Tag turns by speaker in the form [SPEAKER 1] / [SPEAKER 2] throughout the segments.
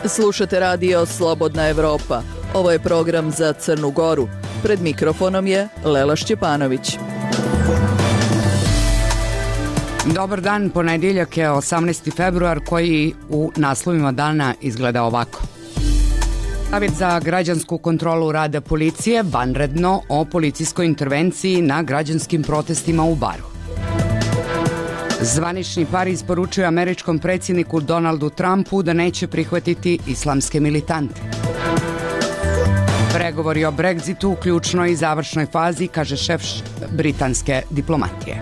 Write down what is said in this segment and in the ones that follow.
[SPEAKER 1] Slušate radio Slobodna Evropa. Ovo je program za Crnu Goru. Pred mikrofonom je Lela Šćepanović.
[SPEAKER 2] Dobar dan, ponedjeljak je 18. februar koji u naslovima dana izgleda ovako. Savjet za građansku kontrolu rada policije vanredno o policijskoj intervenciji na građanskim protestima u Baru. Zvanični Pariz poručuje američkom predsjedniku Donaldu Trumpu da neće prihvatiti islamske militante. Pregovori o Brexitu u ključnoj i završnoj fazi, kaže šef britanske diplomatije.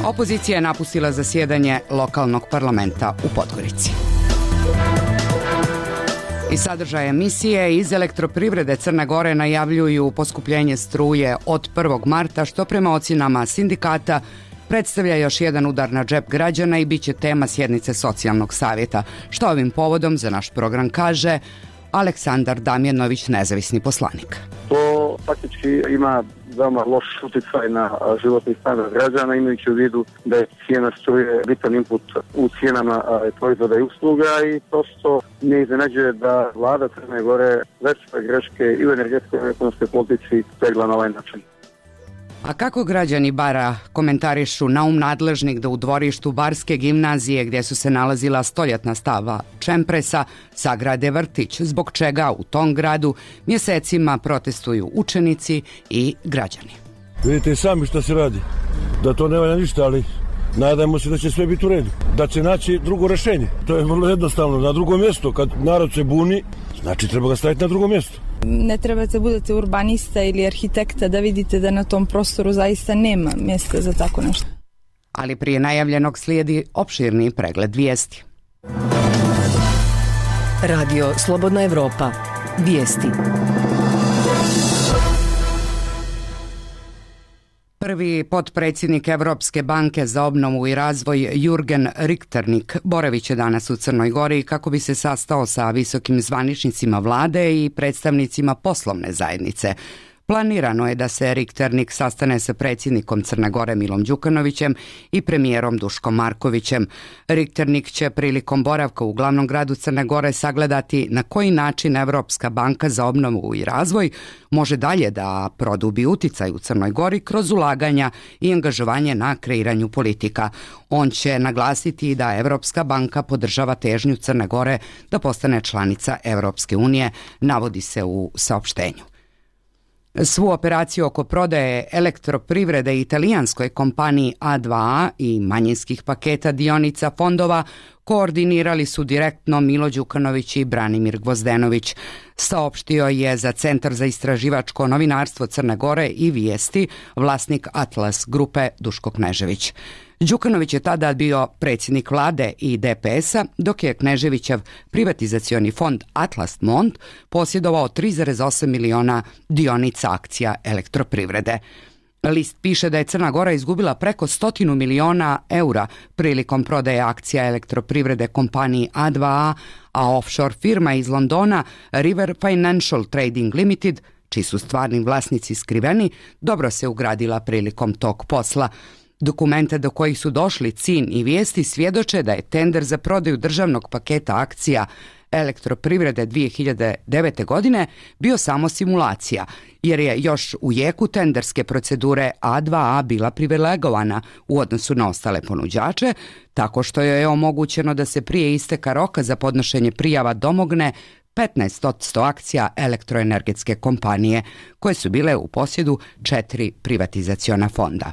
[SPEAKER 2] Opozicija je napustila zasjedanje lokalnog parlamenta u Podgorici. I sadržaj emisije iz Elektroprivrede Crne Gore najavljuju poskupljenje struje od 1. marta, što prema ocjenama sindikata predstavlja još jedan udar na džep građana i bit će tema sjednice socijalnog savjeta. Što ovim povodom za naš program kaže Aleksandar Damjanović, nezavisni poslanik.
[SPEAKER 3] To faktički ima veoma loš utjecaj na životni standard građana, imajući u vidu da je cijena struje bitan input u cijenama proizvoda i usluga i prosto ne iznenađuje da vlada Crne Gore veće greške i u energetskoj i ekonomskoj politici tegla na ovaj način.
[SPEAKER 2] A kako građani Bara komentarišu naum nadležnih da u dvorištu Barske gimnazije, gdje su se nalazila stoljetna stava čempresa, sagrade vrtić, zbog čega u tom gradu mjesecima protestuju učenici i građani?
[SPEAKER 4] Vidite i sami što se radi, da to ne valja ništa, ali nadajmo se da će sve biti u redu, da će naći drugo rješenje. To je vrlo jednostavno, na drugo mjesto, kad narod se buni, znači treba ga staviti na drugo mjesto.
[SPEAKER 5] Ne trebate budete urbanista ili arhitekta da vidite da na tom prostoru zaista nema mjesta za tako nešto.
[SPEAKER 2] Ali prije najavljenog slijedi opširni pregled vijesti.
[SPEAKER 6] Radio Slobodna Evropa. Vijesti.
[SPEAKER 2] Prvi potpredsjednik Evropske banke za obnovu i razvoj Jürgen Richternik boravit će danas u Crnoj Gori kako bi se sastao sa visokim zvaničnicima vlade i predstavnicima poslovne zajednice. Planirano je da se Richternik sastane sa predsjednikom Crne Gore Milom Đukanovićem i premijerom Duškom Markovićem. Richternik će prilikom boravka u glavnom gradu Crne Gore sagledati na koji način Evropska banka za obnovu i razvoj može dalje da produbi uticaj u Crnoj Gori kroz ulaganja i angažovanje na kreiranju politika. On će naglasiti da Evropska banka podržava težnju Crne Gore da postane članica Evropske unije, navodi se u saopštenju. Svu operaciju oko prodaje Elektroprivrede italijanskoj kompaniji A2A i manjinskih paketa dionica fondova koordinirali su direktno Milo Đukanović i Branimir Gvozdenović. Saopštio je za Centar za istraživačko novinarstvo Crne Gore i vijesti vlasnik Atlas grupe Duško Knežević. Đukanović je tada bio predsjednik vlade i DPS-a, dok je Kneževićev privatizacioni fond Atlas Mont posjedovao 3,8 miliona dionica akcija Elektroprivrede. List piše da je Crna Gora izgubila preko 100 miliona eura prilikom prodaje akcija Elektroprivrede kompaniji A2A, a offshore firma iz Londona River Financial Trading Limited, čiji su stvarni vlasnici skriveni, dobro se ugradila prilikom tog posla. Dokumente do kojih su došli CIN i vijesti svjedoče da je tender za prodaju državnog paketa akcija Elektroprivrede 2009. godine bio samo simulacija, jer je još u jeku tenderske procedure A2A bila privilegovana u odnosu na ostale ponuđače, tako što joj je omogućeno da se prije isteka roka za podnošenje prijava domogne 15% akcija elektroenergetske kompanije, koje su bile u posjedu 4 privatizaciona fonda.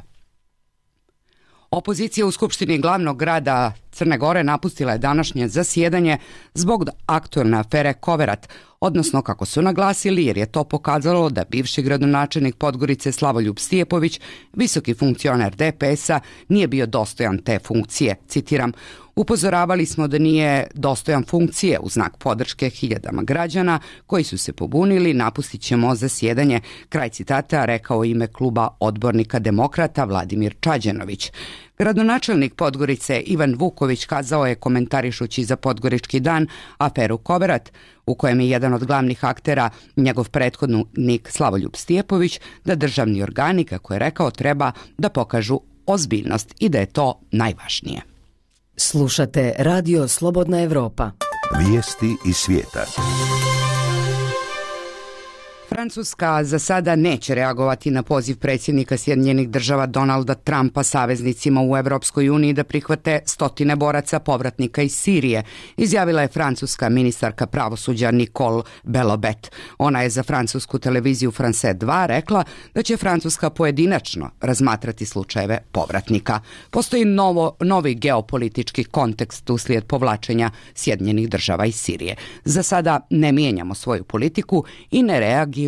[SPEAKER 2] Opozicija u Skupštini glavnog grada Crne Gore napustila je današnje zasjedanje zbog aktualne afere Koverat, odnosno kako su naglasili, jer je to pokazalo da bivši gradonačelnik Podgorice Slavoljub Stijepović, visoki funkcioner DPS-a, nije bio dostojan te funkcije. Citiram, upozoravali smo da nije dostojan funkcije u znak podrške hiljadama građana koji su se pobunili, napustit ćemo zasjedanje, kraj citata, rekao ime kluba odbornika demokrata Vladimir Čađenović. Gradonačelnik Podgorice Ivan Vuković kazao je, komentarišući za Podgorički dan aferu Koverat, u kojem je jedan od glavnih aktera njegov prethodnik Slavoljub Stijepović, da državni organi, kako je rekao, treba da pokažu ozbiljnost i da je to najvažnije.
[SPEAKER 6] Slušate Radio Slobodna Evropa.
[SPEAKER 7] Vijesti iz svijeta.
[SPEAKER 2] Francuska za sada neće reagovati na poziv predsjednika Sjedinjenih Država Donalda Trumpa saveznicima u Europskoj uniji da prihvate 100 boraca povratnika iz Sirije, izjavila je francuska ministarka pravosuđa Nicole Belloubet. Ona je za francusku televiziju France 2 rekla da će Francuska pojedinačno razmatrati slučajeve povratnika. Postoji novi geopolitički kontekst uslijed povlačenja Sjedinjenih Država iz Sirije. Za sada ne mijenjamo svoju politiku i ne reagiramo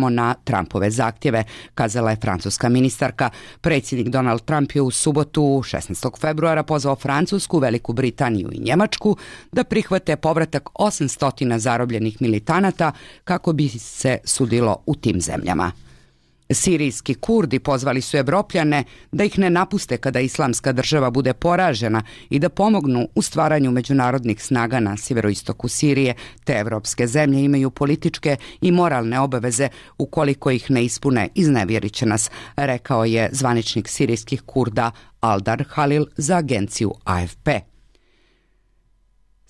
[SPEAKER 2] na Trumpove zahtjeve, kazala je francuska ministarka. Predsjednik Donald Trump je u subotu 16. februara pozvao Francusku, Veliku Britaniju i Njemačku da prihvate povratak 800 zarobljenih militanata kako bi se sudilo u tim zemljama. Sirijski Kurdi pozvali su Evropljane da ih ne napuste kada Islamska država bude poražena i da pomognu u stvaranju međunarodnih snaga na sjeveroistoku Sirije. Te evropske zemlje imaju političke i moralne obaveze, ukoliko ih ne ispune, iznevjerit će nas, rekao je zvaničnik sirijskih Kurda Aldar Halil za agenciju AFP.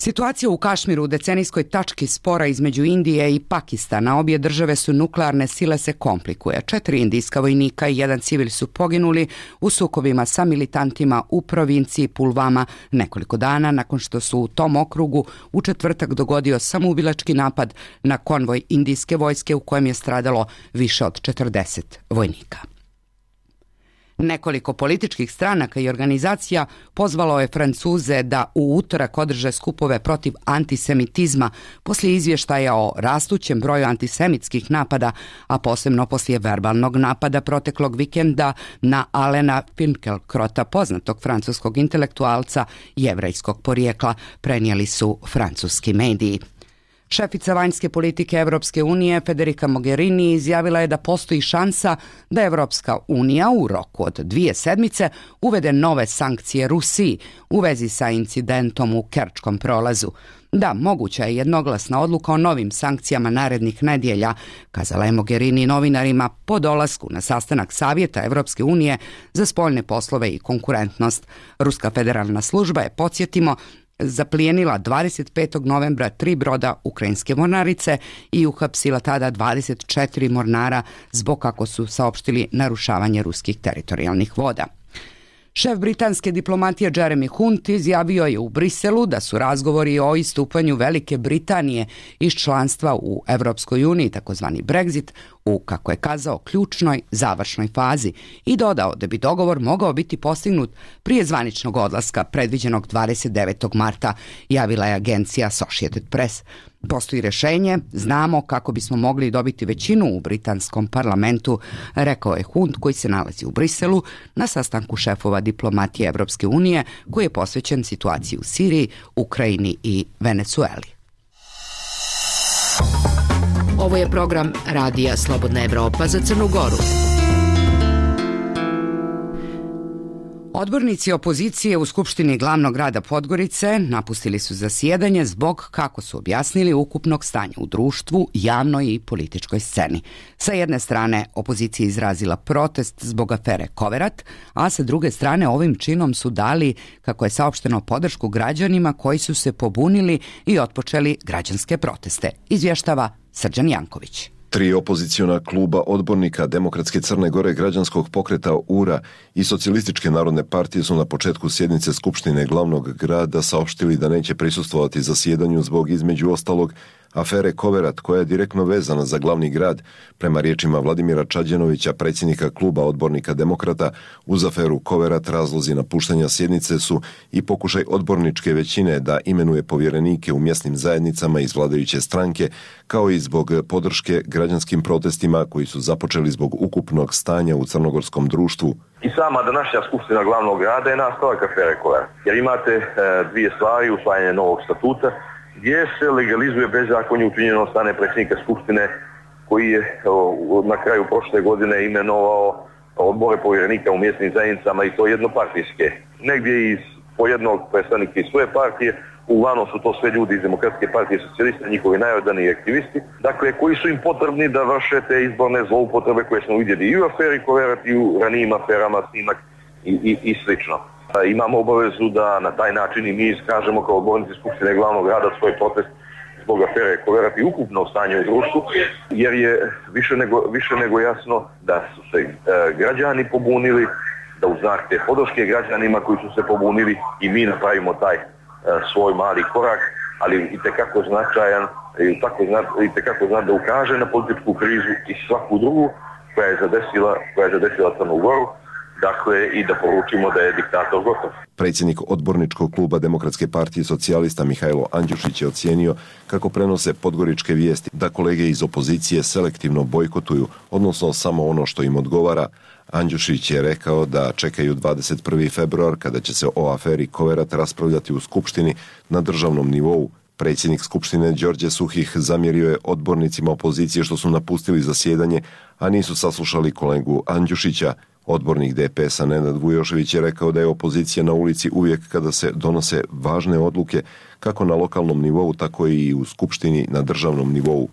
[SPEAKER 2] Situacija u Kašmiru u decenijskoj tački spora između Indije i Pakistana, obje države su nuklearne sile, se komplikuje. 4 indijska vojnika i 1 civil su poginuli u sukobima sa militantima u provinciji Pulvama nekoliko dana nakon što su u tom okrugu u četvrtak dogodio samoubilački napad na konvoj indijske vojske u kojem je stradalo više od 40 vojnika. Nekoliko političkih stranaka i organizacija pozvalo je Francuze da u utorak održe skupove protiv antisemitizma poslije izvještaja o rastućem broju antisemitskih napada, a posebno poslije verbalnog napada proteklog vikenda na Alena Finkielkrota, poznatog francuskog intelektualca jevrejskog porijekla, prenijeli su francuski mediji. Šefica vanjske politike Europske unije Federica Mogherini izjavila je da postoji šansa da Europska unija u roku od 2 sedmice uvede nove sankcije Rusiji u vezi sa incidentom u Kerčkom prolazu. Da, moguća je jednoglasna odluka o novim sankcijama narednih nedjelja, kazala je Mogherini novinarima po dolasku na sastanak Savjeta Europske unije za spoljne poslove i konkurentnost. Ruska federalna služba je, podsjetimo, zaplijenila 25. novembra 3 broda ukrajinske mornarice i uhapsila tada 24 mornara zbog, kako su saopštili, narušavanja ruskih teritorijalnih voda. Šef britanske diplomatije Jeremy Hunt izjavio je u Briselu da su razgovori o istupanju Velike Britanije iz članstva u Europskoj uniji, takozvani Brexit, u, kako je kazao, ključnoj završnoj fazi i dodao da bi dogovor mogao biti postignut prije zvaničnog odlaska predviđenog 29. marta, javila je agencija Associated Press. Postoji rješenje, znamo kako bismo mogli dobiti većinu u britanskom parlamentu, rekao je Hunt, koji se nalazi u Briselu na sastanku šefova diplomatije Europske unije koji je posvećen situaciji u Siriji, Ukrajini i Venezueli.
[SPEAKER 6] Ovo je program Radija Slobodna Evropa za Crnu Goru.
[SPEAKER 2] Odbornici opozicije u Skupštini glavnog grada Podgorice napustili su zasjedanje zbog, kako su objasnili, ukupnog stanja u društvu, javnoj i političkoj sceni. Sa jedne strane opozicija izrazila protest zbog afere Koverat, a sa druge strane ovim činom su dali, kako je saopšteno, podršku građanima koji su se pobunili i otpočeli građanske proteste, izvještava Srđan Janković.
[SPEAKER 8] 3 opoziciona kluba odbornika Demokratske Crne Gore, Građanskog pokreta URA i Socijalističke narodne partije su na početku sjednice Skupštine glavnog grada saopštili da neće prisustvovati zasjedanju zbog, između ostalog, afere Koverat, koja je direktno vezana za glavni grad. Prema riječima Vladimira Čađenovića, predsjednika kluba odbornika Demokrata, uz aferu Koverat razlozi napuštanja sjednice su i pokušaj odborničke većine da imenuje povjerenike u mjesnim zajednicama iz vladajuće stranke, kao i zbog podrške građanskim protestima koji su započeli zbog ukupnog stanja u crnogorskom društvu.
[SPEAKER 9] I sama današnja skupština glavnog grada je nastavak afere Koverat, jer imate dvije stvari: usvajanje novog statuta gdje se legalizuje bezakonje učinjeno od strane predsjednika Skupštine, koji je na kraju prošle godine imenovao odbore povjerenika u mjesnim zajednicama, i to jednopartijske. Negdje po jednog predstavnika iz svoje partije, uglavnom su to sve ljudi iz Demokratske partije socijalista, njihovi najodaniji aktivisti, dakle, koji su im potrebni da vrše te izborne zloupotrebe koje smo vidjeli i u aferi Koverat i u ranijim aferama Snimak i slično. Imamo obavezu da na taj način i mi iskažemo kao odbornici Skupštine glavnog grada svoj protest zbog afere Koverat i ukupno stanje u društvu, jer je više nego jasno da su se građani pobunili, da uz znak te podrške građanima koji su se pobunili i mi napravimo taj svoj mali korak, ali itekako značajan, itekako da ukaže na političku krizu i svaku drugu koja je zadesila Crnu Goru, dakle i da poručimo da je diktator gotov.
[SPEAKER 8] Predsjednik odborničkog kluba Demokratske partije socijalista Mihajlo Andjušić je ocijenio kako prenose podgoričke vijesti da kolege iz opozicije selektivno bojkotuju, odnosno samo ono što im odgovara. Andjušić je rekao da čekaju 21. februar kada će se o aferi Koverat raspravljati u Skupštini na državnom nivou. Predsjednik Skupštine Đorđe Suhih zamjerio je odbornicima opozicije što su napustili zasjedanje, a nisu saslušali kolegu Andjušića. Odbornik DPS-a Nenad Vujošević je rekao da je opozicija na ulici uvijek kada se donose važne odluke, kako na lokalnom nivou, tako i u Skupštini na državnom nivou.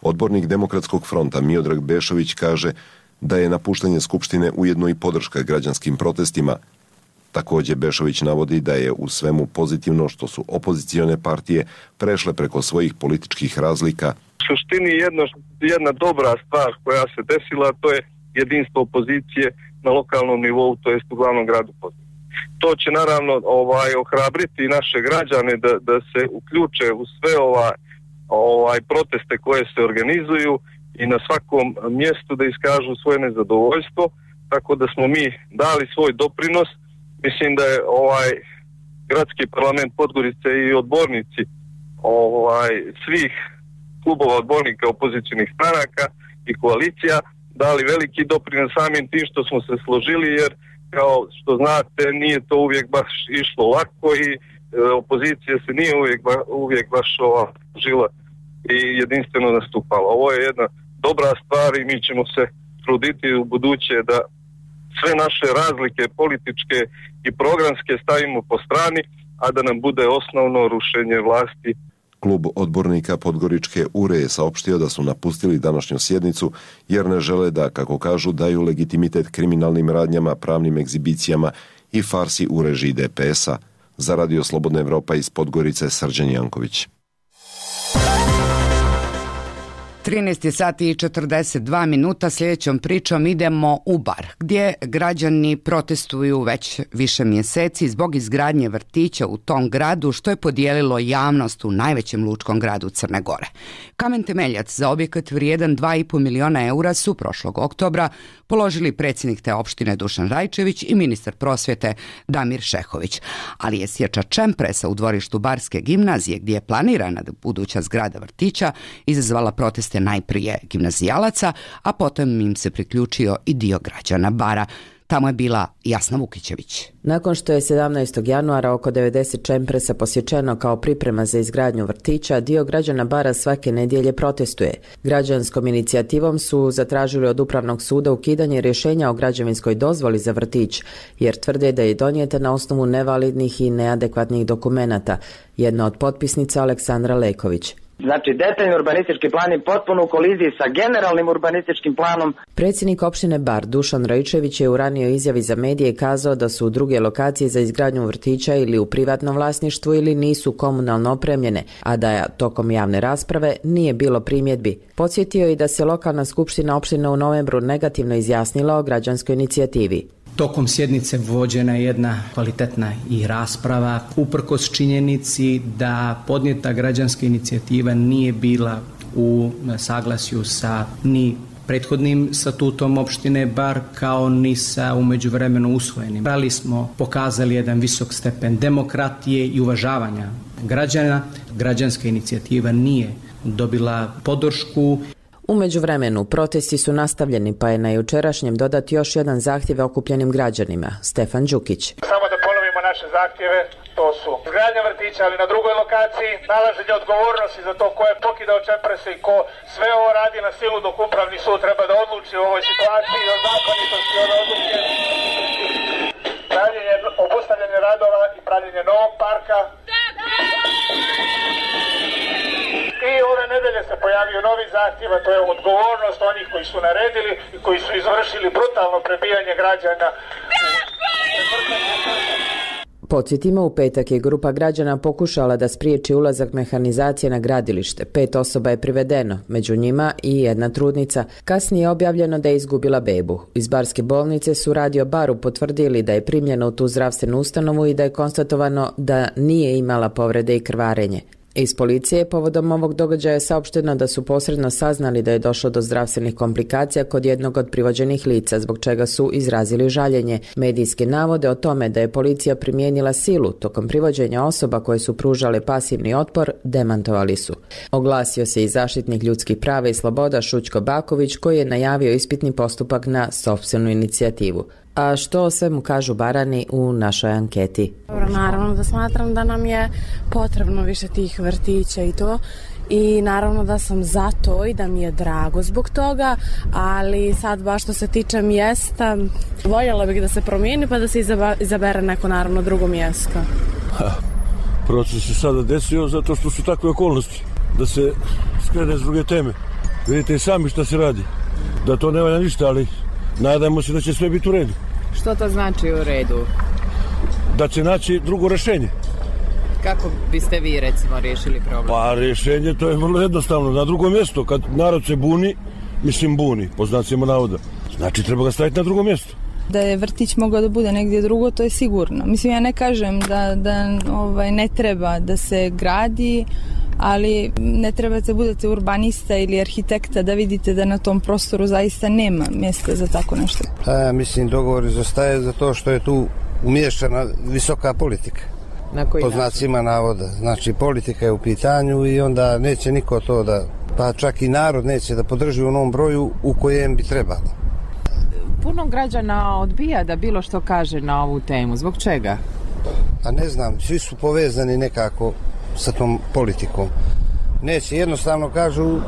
[SPEAKER 8] Odbornik Demokratskog fronta Miodrag Bešović kaže da je napuštanje Skupštine ujedno i podrška građanskim protestima. Također Bešović navodi da je u svemu pozitivno što su opozicione partije prešle preko svojih političkih razlika.
[SPEAKER 7] U suštini jedna dobra stvar koja se desila, to je jedinstvo opozicije na lokalnom nivou, to jest u glavnom gradu Podgorici. To će naravno ohrabriti naše građane da se uključe u sve proteste koje se organizuju i na svakom mjestu da iskažu svoje nezadovoljstvo, tako da smo mi dali svoj doprinos. Mislim da je gradski parlament Podgorice i odbornici svih klubova odbornika opozicijnih stranaka i koalicija dali veliki doprinos samim tim što smo se složili, jer kao što znate nije to uvijek baš išlo lako i opozicija se nije uvijek baš žila i jedinstveno nastupala. Ovo je jedna dobra stvar i mi ćemo se truditi u buduće da sve naše razlike političke i programske stavimo po strani, a da nam bude osnovno rušenje vlasti.
[SPEAKER 8] Klub odbornika Podgoričke URE je saopštio da su napustili današnju sjednicu jer ne žele da, kako kažu, daju legitimitet kriminalnim radnjama, pravnim egzibicijama i farsi u režiji DPS-a. Za Radio Slobodna Evropa iz Podgorice, Srđan Janković.
[SPEAKER 2] 13 sati i 42 minuta, sljedećom pričom idemo u Bar, gdje građani protestuju već više mjeseci zbog izgradnje vrtića u tom gradu, što je podijelilo javnost u najvećem lučkom gradu Crne Gore. Kamen temeljac za objekat vrijedan 2,5 miliona eura su prošlog oktobra položili predsjednik te opštine Dušan Rajčević i ministar prosvjete Damir Šehović. Ali je sječa čempresa u dvorištu Barske gimnazije, gdje je planirana buduća zgrada vrtića, izazvala proteste najprije gimnazijalaca, a potom im se priključio i dio građana Bara. Tamo je bila Jasna Vukićević.
[SPEAKER 10] Nakon što je 17. januara oko 90 čempresa posječeno kao priprema za izgradnju vrtića, dio građana Bara svake nedjelje protestuje. Građanskom inicijativom su zatražili od Upravnog suda ukidanje rješenja o građevinskoj dozvoli za vrtić, jer tvrde da je donijeta na osnovu nevalidnih i neadekvatnih dokumenata. Jedna od potpisnica Aleksandra Leković.
[SPEAKER 11] Znači, detaljni urbanistički plan je potpuno u koliziji sa generalnim urbanističkim planom.
[SPEAKER 10] Predsjednik opštine Bar Dušan Rajčević je u ranijoj izjavi za medije kazao da su druge lokacije za izgradnju vrtića ili u privatnom vlasništvu ili nisu komunalno opremljene, a da tokom javne rasprave nije bilo primjedbi. Podsjetio je da se lokalna skupština opštine u novembru negativno izjasnila o građanskoj inicijativi.
[SPEAKER 12] Tokom sjednice vođena je jedna kvalitetna i rasprava, uprkos činjenici da podnijeta građanska inicijativa nije bila u saglasju sa ni prethodnim statutom opštine Bar kao ni sa u međuvremenu usvojenim. Ali smo pokazali jedan visok stepen demokratije i uvažavanja građana. Građanska inicijativa nije dobila podršku.
[SPEAKER 10] U međuvremenu protesti su nastavljeni, pa je na jučerašnjem dodat još jedan zahtjev okupljenim građanima. Stefan Đukić.
[SPEAKER 13] Samo da ponovimo naše zahtjeve, to su izgradnja vrtića, ali na drugoj lokaciji, nalaženje odgovornosti za to ko je pokidao čemprese i ko sve ovo radi na silu, dok Upravni sud treba da odluči u ovoj situaciji o zakonitosti ove odluke, obustavljanje radova i pravljenje novog parka. I ove nedelje se pojavio novi zahtjev, a to je odgovornost onih koji su naredili i koji su izvršili brutalno prebijanje građana.
[SPEAKER 10] Podsjetimo, u petak je grupa građana pokušala da spriječi ulazak mehanizacije na gradilište. 5 osoba je privedeno, među njima i jedna trudnica. Kasnije je objavljeno da je izgubila bebu. Iz barske bolnice su Radio Baru potvrdili da je primljena u tu zdravstvenu ustanovu i da je konstatovano da nije imala povrede i krvarenje. Iz policije povodom ovog događaja je saopšteno da su posredno saznali da je došlo do zdravstvenih komplikacija kod jednog od privođenih lica, zbog čega su izrazili žaljenje. Medijske navode o tome da je policija primijenila silu tokom privođenja osoba koje su pružale pasivni otpor demantovali su. Oglasio se i zaštitnik ljudskih prava i sloboda Šućko Baković, koji je najavio ispitni postupak na sopstvenu inicijativu. A što o svemu kažu Barani u našoj anketi?
[SPEAKER 14] Naravno da smatram da nam je potrebno više tih vrtića i to. I naravno da sam za to i da mi je drago zbog toga, ali sad baš što se tiče mjesta, voljela bih da se promijeni pa da se izabere neko naravno drugo mjesto.
[SPEAKER 4] Proces se sada desio zato što su takve okolnosti, da se skrene s druge teme. Vidite i sami šta se radi, da to ne valja ništa, ali nadajmo se da će sve biti u redu.
[SPEAKER 15] Što to znači u redu?
[SPEAKER 4] Da će naći drugo rješenje.
[SPEAKER 15] Kako biste vi recimo riješili problem?
[SPEAKER 4] Pa rješenje to je vrlo jednostavno. Na drugo mjesto, kad narod se buni, buni, po znacima navoda. Znači treba ga staviti na drugo mjesto.
[SPEAKER 5] Da je vrtić mogao da bude negdje drugo, to je sigurno. Mislim, ja ne kažem da ne treba da se gradi, ali ne trebate budete urbanista ili arhitekta da vidite da na tom prostoru zaista nema mjesta za tako nešto.
[SPEAKER 16] Mislim, dogovor izostaje za to što je tu umiješana visoka politika.
[SPEAKER 15] Na koji
[SPEAKER 16] po znacima navoda. Znači, politika je u pitanju i onda neće niko to da, pa čak i narod neće da podrži u onom broju u kojem bi trebalo.
[SPEAKER 15] Puno građana odbija da bilo što kaže na ovu temu. Zbog čega?
[SPEAKER 16] A ne znam, svi su povezani nekako sa tom politikom. Neće, jednostavno kažu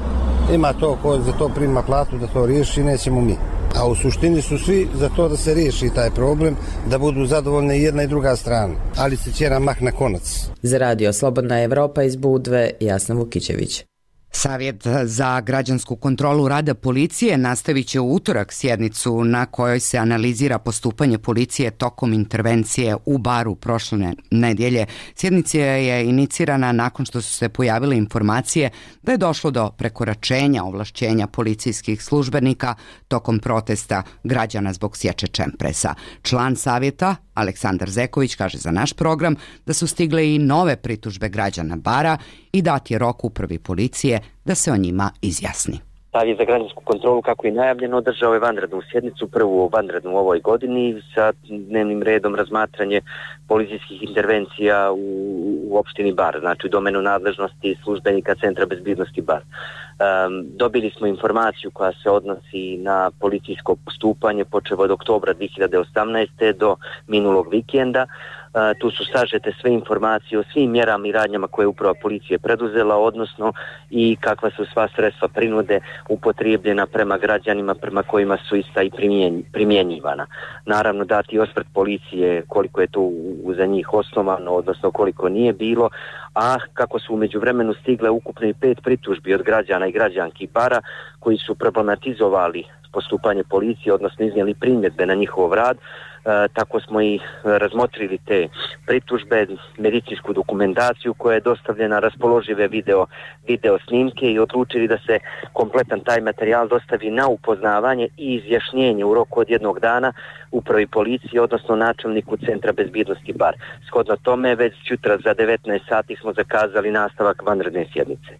[SPEAKER 16] ima to ko za to prima platu da to riješi, nećemo mi. A u suštini su svi za to da se riješi taj problem, da budu zadovoljne i jedna i druga strana. Ali se ćera mah na konac.
[SPEAKER 10] Za Radio Slobodna Evropa iz Budve, Jasna Vukićević.
[SPEAKER 2] Savjet za građansku kontrolu rada policije nastavit će u utorak sjednicu na kojoj se analizira postupanje policije tokom intervencije u Baru prošle nedjelje. Sjednica je inicirana nakon što su se pojavile informacije da je došlo do prekoračenja ovlašćenja policijskih službenika tokom protesta građana zbog sječe čempresa. Član savjeta Aleksandar Zeković kaže za naš program da su stigle i nove pritužbe građana Bara i dat je rok upravi policije da se o njima izjasni.
[SPEAKER 17] Savjet za građansku kontrolu, kako je najavljeno, održao je vanrednu sjednicu, prvu vanrednu u ovoj godini sa dnevnim redom razmatranje policijskih intervencija u opštini Bar, znači u domenu nadležnosti službenika Centra bezbjednosti Bar. Dobili smo informaciju koja se odnosi na policijsko postupanje počev od oktobra 2018. do minulog vikenda. Tu su sažete sve informacije o svim mjerama i radnjama koje je uprava policije preduzela, odnosno i kakva su sva sredstva prinude upotrijebljena prema građanima prema kojima su ista i primjenjivana. Naravno dati osvrt policije koliko je to za njih osnovano, odnosno koliko nije bilo, a kako su u međuvremenu stigle ukupno i 5 pritužbi od građana i građanki Bara koji su problematizovali postupanje policije, odnosno iznijeli primjedbe na njihov rad. Tako smo i razmotrili te pritužbe, medicinsku dokumentaciju koja je dostavljena, raspoložive video snimke i odlučili da se kompletan taj materijal dostavi na upoznavanje i izjašnjenje u roku od 1 dana upravi policije, odnosno načelniku Centra bezbjednosti Bar. Shodno tome, već sutra za 19 sati smo zakazali nastavak vanredne sjednice.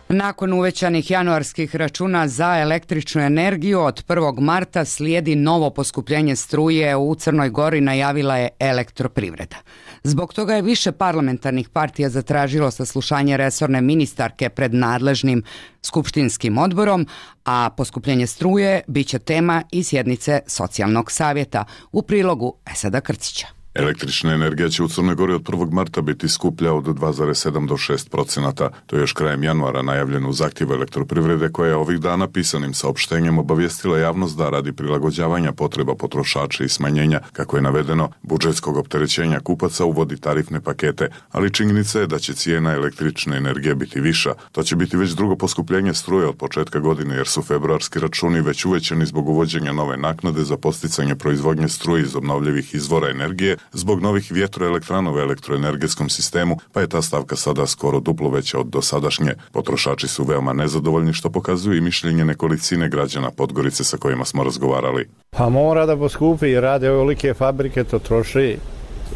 [SPEAKER 2] Nakon uvećanih januarskih računa za električnu energiju od 1. marta slijedi novo poskupljenje struje u Crnoj Gori, najavila je Elektroprivreda. Zbog toga je više parlamentarnih partija zatražilo saslušanje resorne ministarke pred nadležnim skupštinskim odborom, a poskupljenje struje biće tema i sjednice socijalnog savjeta u prilogu Esada Krcića.
[SPEAKER 18] Električna energija će u Crnoj Gori od 1. marta biti skuplja od 2,7 do 6%. To je još krajem januara najavljeno u zahtjevu Elektroprivrede, koja je ovih dana pisanim saopštenjem obavijestila javnost da radi prilagođavanja potreba potrošača i smanjenja, kako je navedeno, budžetskog opterećenja kupaca uvodi tarifne pakete, ali činjenica je da će cijena električne energije biti viša. To će biti već drugo poskupljenje struje od početka godine, jer su februarski računi već uvećani zbog uvođenja nove naknade za posticanje proizvodnje struje iz obnovljivih izvora energije zbog novih vjetroelektrana u elektroenergetskom sistemu, pa je ta stavka sada skoro duplo veća od dosadašnje. Potrošači su veoma nezadovoljni, što pokazuju i mišljenje nekolicine građana Podgorice sa kojima smo razgovarali.
[SPEAKER 19] Pa mora da poskupi, rade ovolike fabrike, to troši.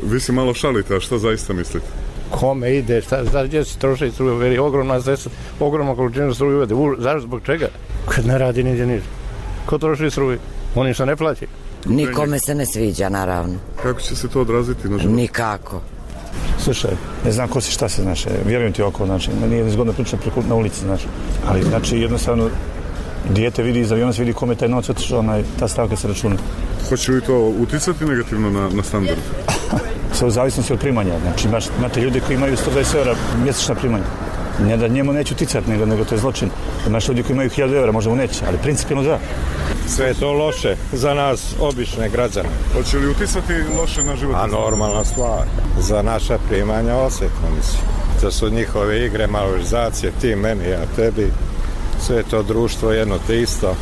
[SPEAKER 18] Vi se malo šalite, a šta zaista mislite?
[SPEAKER 19] Kome ide, gdje se troši struje, veri ogromna količina struje uvede. Zašto, zbog čega? Kad ne radi nigdje ništa. Ko troši struje? Oni što ne plaći.
[SPEAKER 20] Nikome se ne sviđa, naravno.
[SPEAKER 18] Kako će se to odraziti na život?
[SPEAKER 20] Nikako.
[SPEAKER 21] Slušaj, ne znam ko si, šta se, znači, vjerujem ti oko, znači, nije zgodno pričati na ulici, znači, ali, znači, jednostavno, dijete vidi iz aviona, se vidi kome taj novac otišao, ta stavka se računa.
[SPEAKER 18] Hoće li to uticati negativno na standard?
[SPEAKER 21] Sve u zavisnosti od primanja, znači, imate ljudi koji imaju 120 € mjesečna primanja. Ne da njemu neće uticati, nego to je zločin. Imaš ljudi koji imaju 1000 €, možda mu neće, ali principijalno da.
[SPEAKER 19] Sve je to loše za nas, obične građane.
[SPEAKER 18] Hoće li uticati loše na život?
[SPEAKER 19] A normalna stvar. Za naša primanja osjetno, mislim. To su njihove igre, malorizacije, ti meni, ja tebi. Sve je to društvo jedno te isto.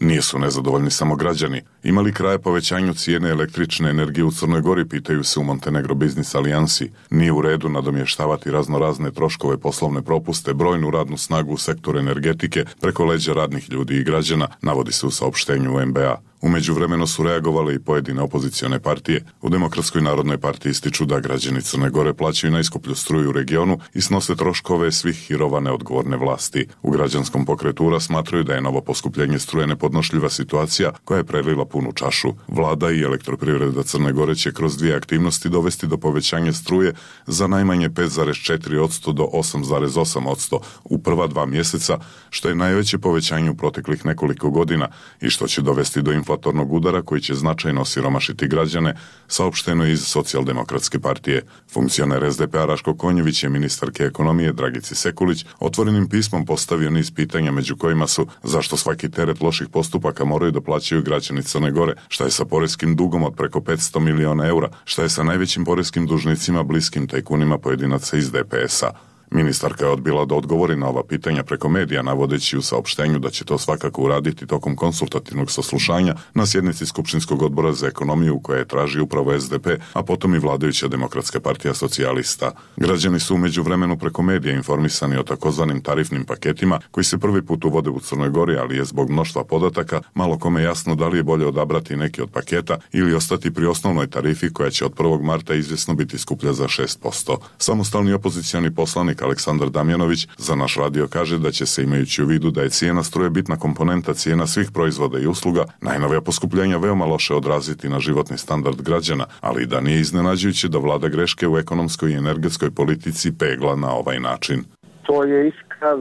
[SPEAKER 18] Nisu nezadovoljni samo građani. Ima li kraja povećanju cijene električne energije u Crnoj Gori, pitaju se u Montenegro Biznis Alijansi. Nije u redu nadomještavati razne troškove, poslovne propuste, brojnu radnu snagu u sektoru energetike preko leđa radnih ljudi i građana, navodi se u saopštenju MBA. U međuvremenu su reagovale i pojedine opozicione partije. U Demokratskoj narodnoj partiji ističu da građani Crne Gore plaćaju najskuplju struju u regionu i snose troškove svih hirova neodgovorne vlasti. U građanskom pokretu URA smatraju da je novo poskupljenje struje nepodnošljiva situacija koja je prelila punu čašu. Vlada i Elektroprivreda Crne Gore će kroz 2 aktivnosti dovesti do povećanja struje za najmanje 5,4% do 8,8% u prva 2 mjeseca, što je najveće povećanje u proteklih nekoliko godina i što će dovesti do inflatornog udara koji će značajno osiromašiti građane, saopšteno iz Socijaldemokratske partije. Funkcioner SDP-a Raško Konjević je ministarke ekonomije Dragici Sekulić otvorenim pismom postavio niz pitanja, među kojima su zašto svaki teret loših postupaka moraju da plaćaju građani Crne Gore, šta je sa poreskim dugom od preko 500 miliona eura, šta je sa najvećim poreskim dužnicima bliskim tajkunima pojedinaca iz DPS-a. Ministarka je odbila da odgovori na ova pitanja preko medija, navodeći u saopštenju da će to svakako uraditi tokom konsultativnog saslušanja na sjednici Skupštinskog odbora za ekonomiju koja je traži upravo SDP, a potom i vladajuća Demokratska partija socijalista. Građani su u međuvremenu preko medija informisani o takozvanim tarifnim paketima koji se prvi put uvode u Crnoj Gori, ali je zbog mnoštva podataka malo kome jasno da li je bolje odabrati neki od paketa ili ostati pri osnovnoj tarifi koja će od 1. marta izvjesno biti skuplja za 6%. Samostalni opozicioni poslanik Aleksandar Damjanović za naš radio kaže da će se, imajući u vidu da je cijena struje bitna komponenta cijena svih proizvoda i usluga, najnovija poskupljenja veoma loše odraziti na životni standard građana, ali i da nije iznenađujuće da vlada greške u ekonomskoj i energetskoj politici pegla na ovaj način.
[SPEAKER 3] To je iskaz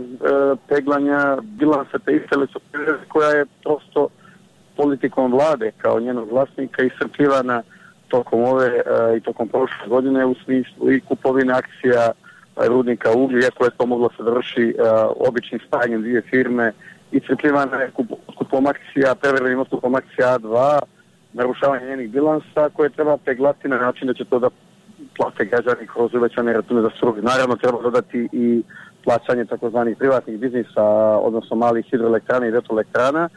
[SPEAKER 3] peglanja bilansa te iste Elektroprivrede koja je prosto politikom vlade kao njenog vlasnika iscrpljivana tokom ove i tokom prošle godine u smislu i kupovine akcija rudnika uglja, iako je to moglo se završi običnim spajanjem 2 firme, i crpljivana je kupom akcija, prevremenim otkupom akcija A2, narušavanje njenih bilansa koje treba peglati na način da će to da plate građani kroz uvećane račune za struju. Naravno treba dodati i plaćanje takozvanih privatnih biznisa, odnosno malih hidroelektrana i vetroelektrana,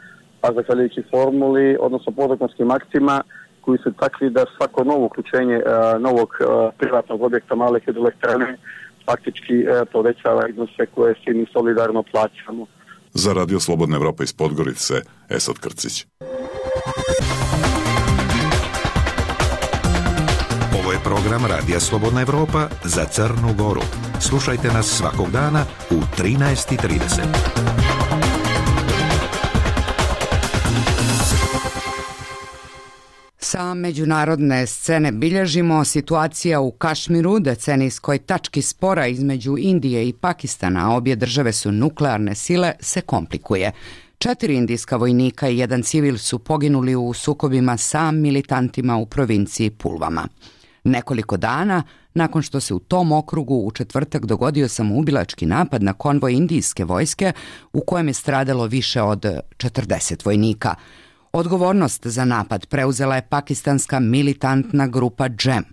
[SPEAKER 3] a zahvaljujući formuli, odnosno podzakonskim aktima koji su takvi da svako novo uključenje novog privatnog objekta male hidroelektrane faktički povećava iznose koje svi mi solidarno plaćamo.
[SPEAKER 18] Za Radio Slobodna Evropa iz Podgorice, Esad Krcić.
[SPEAKER 22] Ovo je program Radija Slobodna Evropa za Crnu Goru. Slušajte nas svakog dana u 13:30.
[SPEAKER 2] Sa međunarodne scene bilježimo situacija u Kašmiru, decenijskoj tački spora između Indije i Pakistana, a obje države su nuklearne sile, se komplikuje. 4 indijska vojnika i 1 civil su poginuli u sukobima sa militantima u provinciji Pulvama. Nekoliko dana nakon što se u tom okrugu u četvrtak dogodio samoubilački napad na konvoj indijske vojske u kojem je stradalo više od 40 vojnika. Odgovornost za napad preuzela je pakistanska militantna grupa Džem,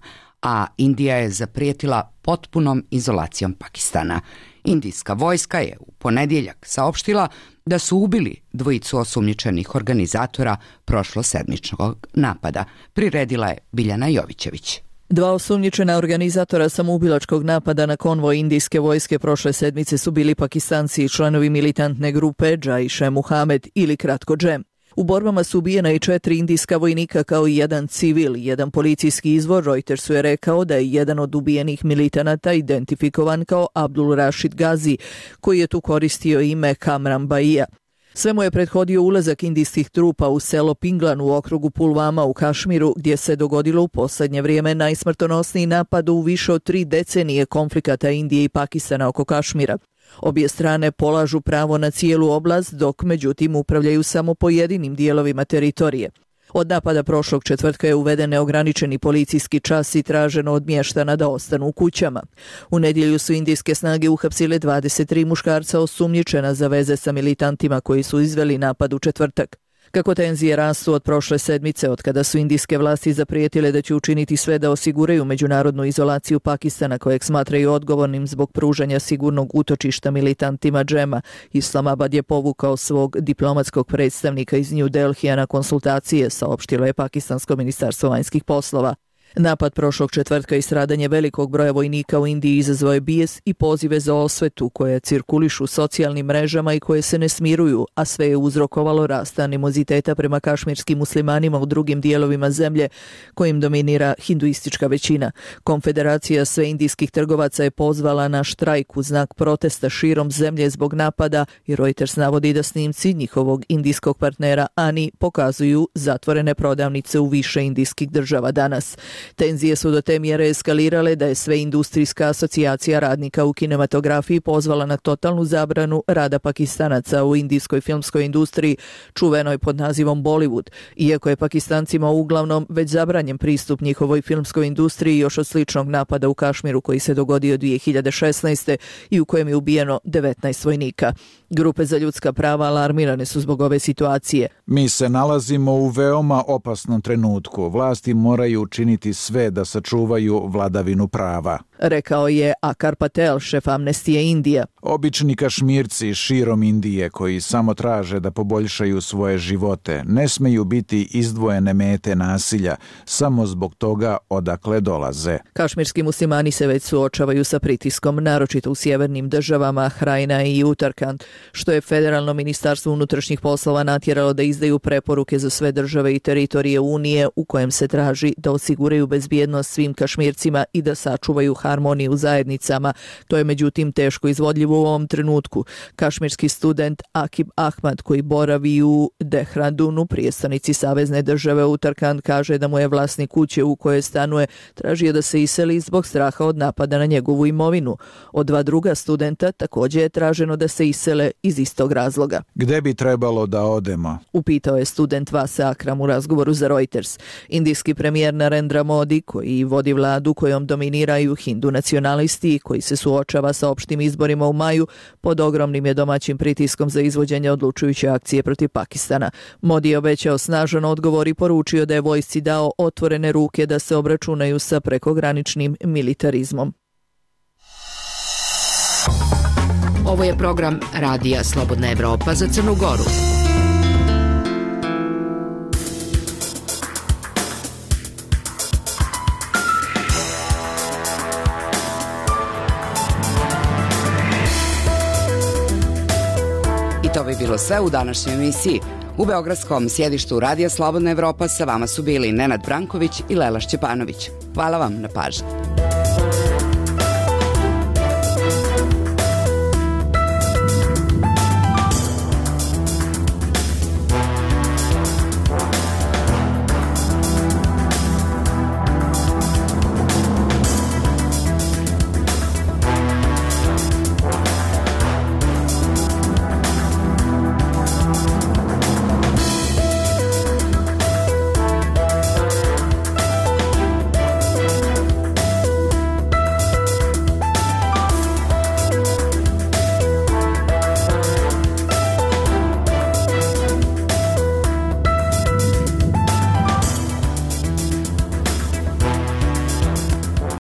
[SPEAKER 2] a Indija je zaprijetila potpunom izolacijom Pakistana. Indijska vojska je u ponedjeljak saopštila da su ubili dvojicu osumnjičenih organizatora prošlosedmičnog napada. Priredila je Biljana Jovićević.
[SPEAKER 1] Dva osumnjičena organizatora samoubilačkog napada na konvoj indijske vojske prošle sedmice su bili Pakistanci i članovi militantne grupe Jaiš-e Muhamed ili kratko Džem. U borbama su ubijena i 4 indijska vojnika kao i jedan civil. Jedan policijski izvor Reutersu je rekao da je jedan od ubijenih militanata identifikovan kao Abdul Rashid Gazi, koji je tu koristio ime Kamran Baija. Sve mu je prethodio ulazak indijskih trupa u selo Pinglan u okrugu Pulvama u Kašmiru, gdje se dogodilo u posljednje vrijeme najsmrtonosniji napad u više od 3 decenije konflikata Indije i Pakistana oko Kašmira. Obje strane polažu pravo na cijelu oblast, dok međutim upravljaju samo pojedinim dijelovima teritorije. Od napada prošlog četvrtka je uveden neograničeni policijski čas i traženo od mještana da ostanu u kućama. U nedjelju su indijske snage uhapsile 23 muškarca osumnjičena za veze sa militantima koji su izveli napad u četvrtak. Kako tenzije rastu od prošle sedmice, od kada su indijske vlasti zaprijetile da će učiniti sve da osiguraju međunarodnu izolaciju Pakistana, kojeg smatraju odgovornim zbog pružanja sigurnog utočišta militantima Džema, Islamabad je povukao svog diplomatskog predstavnika iz New Delhija na konsultacije, saopštilo je Pakistansko ministarstvo vanjskih poslova. Napad prošlog četvrtka i stradanje velikog broja vojnika u Indiji izazvao je bijes i pozive za osvetu koje cirkulišu socijalnim mrežama i koje se ne smiruju, a sve je uzrokovalo rast animoziteta prema kašmirskim muslimanima u drugim dijelovima zemlje kojim dominira hinduistička većina. Konfederacija sve indijskih trgovaca je pozvala na štrajk u znak protesta širom zemlje zbog napada i Reuters navodi da snimci njihovog indijskog partnera ANI pokazuju zatvorene prodavnice u više indijskih država danas. Tenzije su do te mjere eskalirale da je sve industrijska asocijacija radnika u kinematografiji pozvala na totalnu zabranu rada Pakistanaca u indijskoj filmskoj industriji, čuvenoj pod nazivom Bollywood. Iako je Pakistancima uglavnom već zabranjen pristup njihovoj filmskoj industriji još od sličnog napada u Kašmiru koji se dogodio 2016. i u kojem je ubijeno 19 vojnika. Grupe za ljudska prava alarmirane su zbog ove situacije.
[SPEAKER 6] Mi se nalazimo u veoma opasnom trenutku. Vlasti moraju učiniti sve da sačuvaju vladavinu prava,
[SPEAKER 1] rekao je Akar Patel, šef Amnestije Indija.
[SPEAKER 6] Obični Kašmirci širom Indije koji samo traže da poboljšaju svoje živote ne smeju biti izdvojene mete nasilja samo zbog toga odakle dolaze.
[SPEAKER 1] Kašmirski muslimani se već suočavaju sa pritiskom, naročito u sjevernim državama Hrajna i Utarkand, što je Federalno ministarstvo unutrašnjih poslova natjeralo da izdaju preporuke za sve države i teritorije Unije u kojem se traži da osiguraju bezbjednost svim Kašmircima i da sačuvaju harmoniju u zajednicama. To je međutim teško izvodljivo u ovom trenutku. Kašmirski student Akib Ahmad koji boravi u Dehradunu, prijestolnici savezne države Utarkand, kaže da mu je vlasnik kuće u kojoj stanuje tražio da se iseli zbog straha od napada na njegovu imovinu. Od 2 druga studenta također je traženo da se isele iz istog razloga.
[SPEAKER 6] Gde bi trebalo da odemo?
[SPEAKER 1] Upitao je student Vase Akram u razgovoru za Reuters. Indijski premijer Narendra Modi, koji vodi vladu kojom dominiraju hindu nacionalisti koji se suočava sa opštim izborima u maju, pod ogromnim je domaćim pritiskom za izvođenje odlučujuće akcije protiv Pakistana. Modi je obećao snažan odgovor i poručio da je vojsci dao otvorene ruke da se obračunaju sa prekograničnim militarizmom.
[SPEAKER 23] Ovo je program Radija Slobodna Evropa za Crnu Goru.
[SPEAKER 2] I to bi bilo sve u današnjoj emisiji. U beogradskom sjedištu Radija Slobodna Evropa sa vama su bili Nenad Branković i Lela Šćepanović. Hvala vam na pažnji.